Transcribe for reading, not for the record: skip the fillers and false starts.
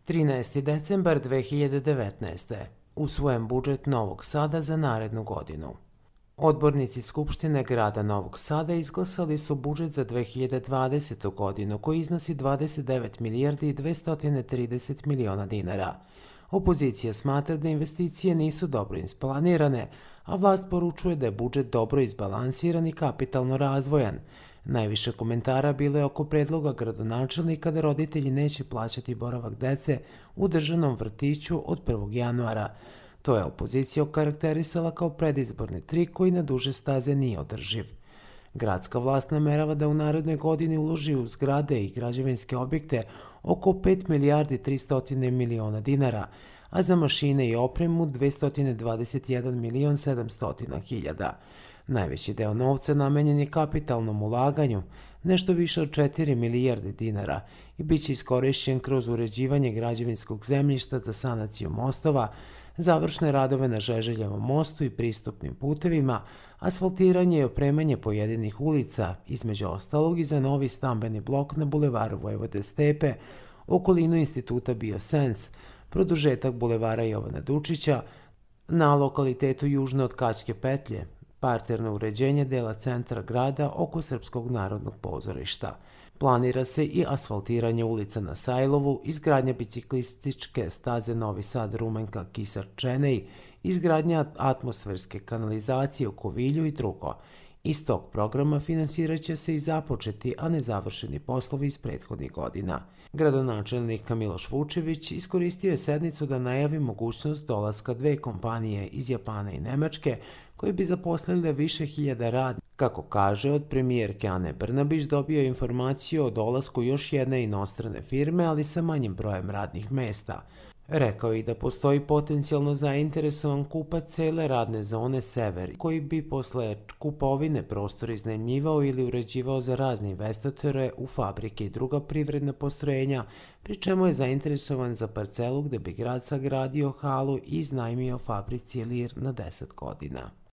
13. decembar 2019. Usvojen budžet Novog Sada za narednu godinu. Odbornici Skupštine grada Novog Sada izglasali su budžet za 2020. godinu koji iznosi 29 milijardi i 230 miliona dinara. Opozicija smatra da investicije nisu dobro isplanirane, a vlast poručuje da je budžet dobro izbalansiran i kapitalno razvojan. Najviše komentara bilo je oko predloga gradonačelnika da roditelji neće plaćati boravak dece u državnom vrtiću od 1. januara. To je opozicija okarakterisala kao predizborni trik koji na duže staze nije održiv. Gradska vlast namerava da u narednoj godini uloži u zgrade i građevinske objekte oko 5 milijardi 300 miliona dinara, a za mašine i opremu 221 milion 700 hiljada. Najveći deo novca namenjen je kapitalnom ulaganju, nešto više od 4 milijarde dinara, i bit će iskorišćen kroz uređivanje građevinskog zemljišta za sanaciju mostova, završne radove na Žeželjevom mostu i pristupnim putevima, asfaltiranje i opremanje pojedinih ulica, između ostalog i za novi stambeni blok na bulevaru Vojvode Stepe, okolinu instituta Biosens, produžetak bulevara Jovana Dučića, na lokalitetu južno od Kaćke petlje, parterno uređenje dela centra grada oko Srpskog narodnog pozorišta. Planira se i asfaltiranje ulica na Sajlovu, izgradnja biciklističke staze Novi Sad Rumenka Kisar Čenej, izgradnja atmosferske kanalizacije u Kovilju i drugo. Iz tog programa finansirat će se i započeti, a nezavršeni poslovi iz prethodnih godina. Gradonačelnik Miloš Vučević iskoristio je sednicu da najavi mogućnost dolaska dve kompanije iz Japana i Nemačke koje bi zaposlile više hiljada radnika. Kako kaže, od premijerke Ane Brnabić dobio je informaciju o dolasku još jedne inostrane firme, ali sa manjim brojem radnih mesta. Rekao je i da postoji potencijalno zainteresovan kupac cele radne zone Sever, koji bi posle kupovine prostor iznajmljivao ili uređivao za razne investitore u fabrike i druga privredna postrojenja, pri čemu je zainteresovan za parcelu gde bi grad sagradio halu i iznajmio fabrici Lir na 10 godina.